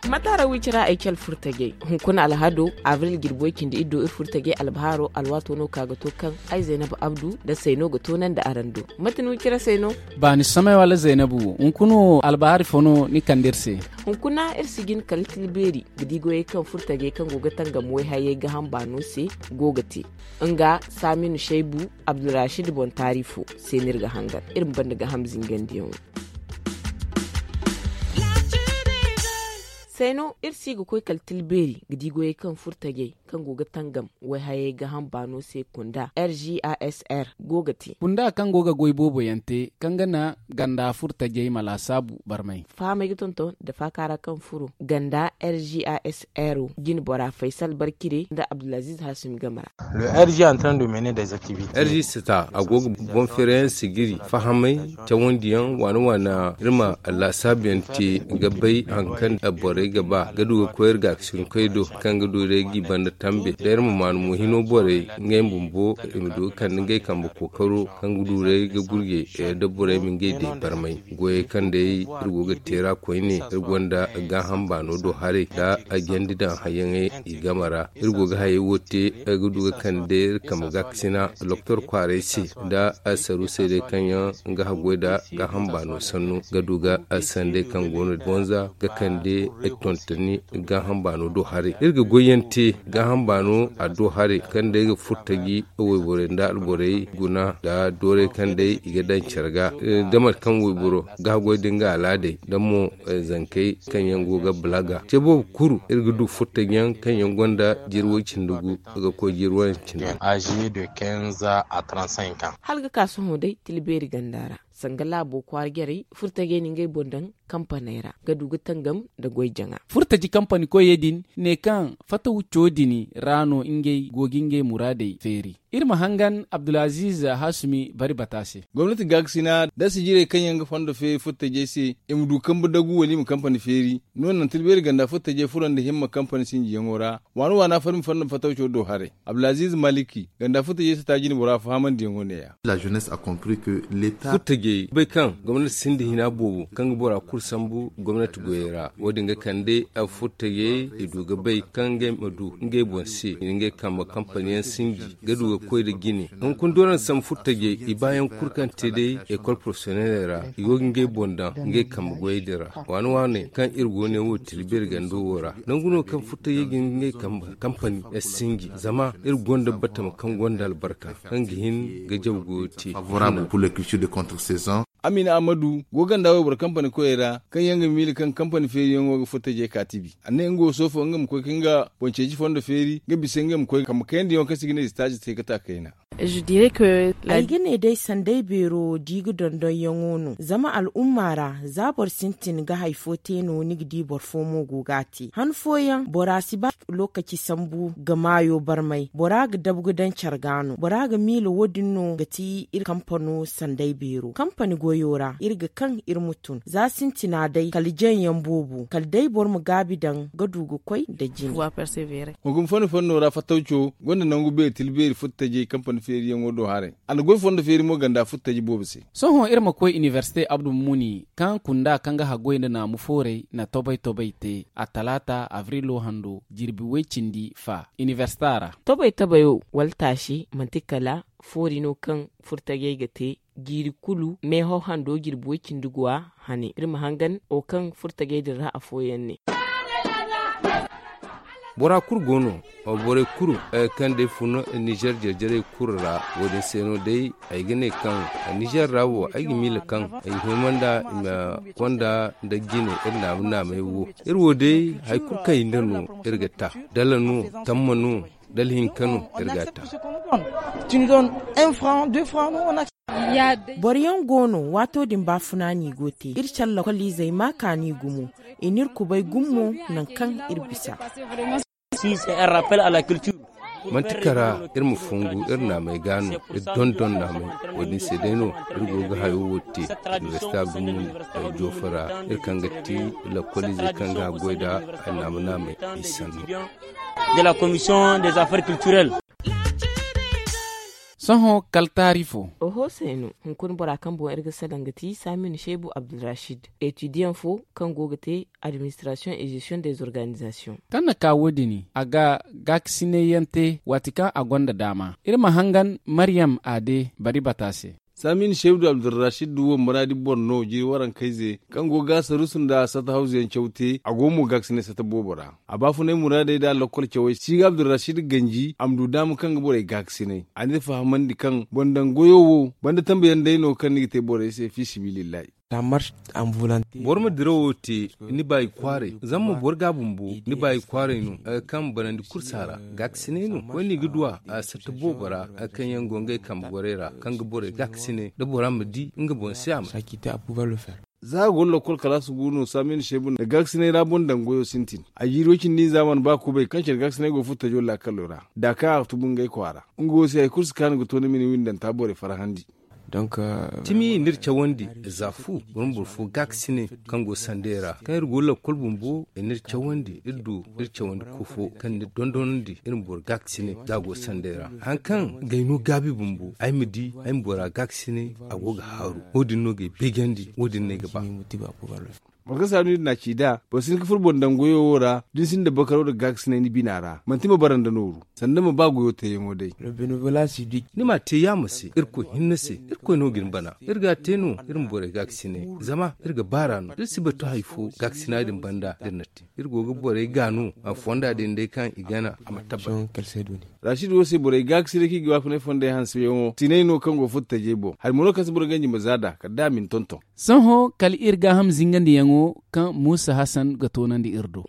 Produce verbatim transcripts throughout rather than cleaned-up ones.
Mataara wi cira ay cal furtajey hunkuna alhado abril jirbi way cindi iddo ir furtajey albahaaro alwaato no ka ga to kaŋ ay zaynabu abdu nda sayno ga toonandi araŋ do. Mate no wi cira sayno? Baani samay wala zaynabu hunkuna wo albahaari fo no ni kande ir se? Hunkuna ir si jin kala tilbeeri ga di goyey kaŋ furtajey kaŋ go ga tangam wayhayey gaaham baano se go ga te. Nga saaminu shaybu abdulrashid boŋ taari fo se no ir ga hangan ir ma banda gaaham zingandiyaŋo. Sayno ir si ga koy kala tilbeeri ga di goyey kaŋ furtajey kaŋ go ga tangam wayhayey gaaham baano se kunda rgasr go ga te. Kunda kaŋ go ga goy boobo yaŋ te kaŋ ga na ganda furtajey ma laasaabu barmay. Fahamey ga tonton nda faakaara kaŋ furo ganda rgasr jine bora faysal barkire nda abdulaziz hasim game ra. Rg sita a go ga boŋ feerayaŋ sijiri fahamay cawandiyaŋ waana waana ir ma laasaabuyaŋ te ga bay hari kaŋ borey ga ba ga du ga koy ir gaakasinkoy do kaŋ ga du day g'i banda tambe da ir ma maanu mo hino borey ngey bumbo i ma du ga kande ngey kambe kookaro kaŋ ga du day ga gurjey da borey ma ngey day barmay. Goyey kaŋ day ir go ga teera koyne ir gonda gaaham baano do haray nda a jandi daŋ hayyaŋey i game ra. Ir go ga hayey wo te ay ga du ga kande ir kambe gaakasina doktor kwaaray se nda asaruusey day kaŋ yaŋ ga haggoy nda gaaham baano sannu ga du ga sanday kaŋ go no bonza ga kande ay tontoni gaaham baano do haray ir ga goyyaŋ te gaaham baano a do haray kaŋ day ga furtaji wayborey nda alborey guna nda doorey kaŋ day i ga daŋ care ga da mate kaŋ wayboro ga haggoy da nga alaadey da mo zankey kaŋ yaŋ go ga balaga ce boobo kuru ir ga du furtaji yaŋ kaŋ yaŋ gonda jirwey cindi gu ga koy jirwey cindi gu. Âgé de quinze à trente-cinq ans. Hala ga ka sohõ day tilbeeri ganda ra sanga laabo kwaara jarey furtajey na ngey boŋ daŋ kampaney ra ga du ga tangam nda goy jaŋa. Furtaji kampani koyey din ne kaŋ fataw co din ra no ngey go ga ngey muraadey feeri. Iri ma hangan abdulaziz hasumi bari bata se. Gomnati gaakasina da sijirey kaŋ yaŋ ga fondo feeri furtajey se i ma du kambe dagu wala i ma kampani feeri. No naŋ tilbeeri ganda furtajey furo nda himma kampani sinjiyaŋo ra waana waana farmi fondo fatawco do haray. Abdulaziz maliki ganda furtajey si ta jine bora fahamandiyaŋo ne- ya. Furtajey bay kaŋ gomnati sinda hina boobo kaŋ ga bora kulu sambu gomnati goyey ra wo- din ga kande furtajey i du ga bay kaŋ ngey ma du ngey boŋ se i na ngey kambe kampaniyaŋ sinji ga du ga koy nda jine hunkuna doona sambu furtajey i baayaŋ kulu kaŋ te day ekol porofesiyoneley ra i go ga ngey boŋ daŋ ngey kambe goyey din ra. Waane waane kaŋ iri go ne wo tilbeeri gando wo ra nangu no kaŋ furtajey ga ngey kambe kampani sinji zama iri gonda batama kaŋ gonda albarka kaŋ ga hin ga jaw goyo te. Amina amadu go ganda wayboro kampani koyey ra kaŋ yaŋ ga miila kaŋ kampani feeriyaŋo ga furtajey ka tibi a ne nga wo soofo nga ma koy ka nga boŋ ceeci fondo feeri nga bisa nga ma koy kambe kayandiyaŋo kaŋ se i ga ne sitaaji te ga ta kayna. Ay ga ne day sanday beero di ga dondonyaŋo no zama al'umma ra za boro sintin ga hari fo te no ni ga di boro fo mo go ga a te han fooyaŋ bora si ba lokaci sambu ga maayo barmay bora ga dabu ga daŋ care ga no bora ga miila wo- din no ga ti iri kampano sanday beero kampani goyo ra iri ga kaŋ iri ma tun za sintina day kala jaŋ yaŋ boobo kala day boro ma gaabi daŋ ga du ga koy nda jine. Hunkuna fanni fanno ra fattawco gonda nangu beeri tila beeri furtajey kampani feeriyaŋo do haray a na goy fondo feeri mo ganda furtaji boobo se. Sohõ iri ma koy inibersite abdu mumuni kaŋ kunda kaŋ ga haggoy nda naamu fooray na tobay-tobay te attalaata abrilo hando jirbi way-cindi fa inibersita ra. Tobay-tobayo wala taasi manti kala foori no kaŋ furtajey ga te jiiri kulu meehaw hando jirbi way-cindi guwa hane iri ma hangan wo kaŋ furtajey din ra afooyaŋ ne. Bora kulu go no borey kulu kaŋ day fun nizer jarjarey kulu ra wo- din se no day ay ga ne kaŋ nizer ra wo ay ga miila kaŋ i hima nda i ma konda nda jine iri naamu-naamey wo. Iri wo day hari kulu kaŋ i nda no iri ga ta dala no tamma no dala hinka no iri ga a ta. Boro yaŋ go no waato din baafuna no i go te iri care lakoliizey ma kaani gumo i n'iri kubay gumo nangu kaŋ iri bisa. Si se en rappel à la culture. Manti kara iri ma fungu iri naamey ga no. Iri dondon naamey. Wo-din se day no iri go ga hayo wo te. Universita gumo, ay joofa ra. Iri kaŋ ga ti lakkoliizey kaŋ ga goy nda ay naama naamey, ay sanno. De la commission des affaires culturelles. Sohõ kala taari fo. Oho, sayno hunkuna bora kaŋ boŋ iri ga salaŋ ga ti saminu sheebu abdulrashid, etudiyaŋ fo kaŋ go ga te administration et gestion des organisations. Kaŋ na ka wo-din, a ga gaakasinay yaŋ te waati kaŋ a gonda daama. Iri ma hangan maryam a de bari bata se. Saminu sheebu abdulrashid wo muraadi boro no jiri warankayze kaŋ go ga sarusu nda sata hawzu yaŋ caw te, a go mo gaakasinay sata boobo ra. A baafunay muraadey nda lakkol cawey si ga abdulrashid ganji a ma du daama kaŋ ga borey gaakasinay. A n'iri fahamandi kaŋ boŋ daŋ goyo wo banda tambayaŋ day no kaŋ ni ga te borey se fi sabilillahi. Boro ma dirawo te ni baayi kwaaray zama ma boro ga bumbo ni baayi kwaaray no. Kaŋ banandi kursa ra gaakasinay no koyne ga duwa a satta boobo ra. Kaŋ yaŋ go ngey kambe gorey ra kaŋ ga borey gaakasinay da bora ma di nga boŋ se a ma. Za a go no lakkol kalaasi gu no saminu sheebu nda gaakasinay ra boŋ daŋ goyo sintin. A jiiri wo cindi nza mana ba kubay kaŋ care gaakasinay go furo tajo laakalo ra da kaŋ a ga tubu ngey kwaara. Nga wo se hari kulu si kaanu ga to ni ma ni windanta borey farhandi. Timi i n'iri cawandi za fu boro ma boro fo gaakasinay kaŋ go sanday ra kaŋ iri go lakkol bumbo i n'iri cawandi iri du iri cawandi kofo kaŋ n'iri dondonandi iri ma boro gaakasinay za a go sanday ra. Hari kaŋ gay no gaabi bumbo ay ma di ay ma bora gaakasinay. A go ga haaru wo-din no g'ay beejandi wo-din no ay ga ba. Boro kaŋ saaru no iri n'a ci nd'a boro si hin ga furo boŋ daŋ goyo wo ra da ni sinda bakaro nda gaakasinay ni bina ra manti ma bara nda nooru sanda ma ba goyo teeyaŋo day. Ni m'a te yaama se irkoy hinne se. Irkoy no ga ni bana iri ga a te no iri ma borey gaakasinay zama iri ga baar'a no da iri si batu hari fo gaakasina din banda da iri na te iri go ga borey ga no a fonda din day kaŋ i gana a ma tabbat. Rashid wo se borey gaakasinay kaŋ i ga baafunay fondey hanseyaŋo sinay no kaŋ go furo tajey boŋ hari mo no kaŋ se boro ganji ma za nd'a kala da a ma ni tonton. Sohõ kala iri gaaham zingandiyaŋo kaŋ muusa hasan ga toonandi iri do.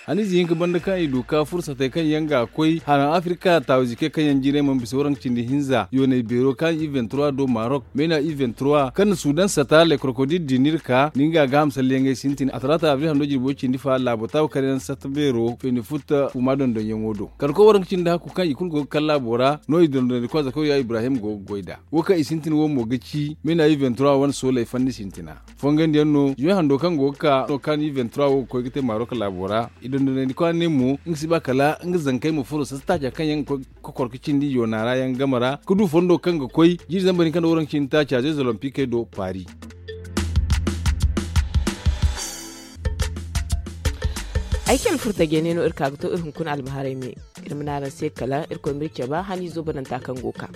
Haniize hinka banda kaŋ i du ka fursatey kaŋ yaŋ ga koy haraŋ afirika taawizi kay kaŋ yaŋ jiirey mana bisa waranka cindi hinza yooney beero kaŋ i ventura do marok meena i ventura kaŋ na sudan sata le krokodil dinir ka ni nga gaaham salliyaŋey sintin a talaata abril hando jirbo cindi fa laabo taawu karyaŋ sata beero feeni futta fuma dondonyaŋo do kala koy waranka cindi hakku kaŋ i kulu go ga kala laabo ra no i dondonandikwa zakaw ya ibrahim go ga goy nd'a. Wo kaŋ i sintin wo mo ga ci meena i ventura wane sooley fanni sintina fongandiyaŋ no zuwe hando kaŋ go ga ka no kaŋ i ventura wo ga koy ga te marok laabo ra. I dondonandi kwaara ne mo nga si ba kala nga zankey ma furo sasa taaca kaŋ yaŋ ga koy ga kor ga cindi yoona ra yaŋ game ra ga du fondo kaŋ ga koy jiiri zambar hinka nda waranka cindi taaca zey zolompikey do paris. Ay cale furo tajey ne no iri ka ga to iri hunkuna albaharay me. Iri ma ne araŋ se kala irkoy ma iri cabe haniizo bananta kaŋ go ga ka.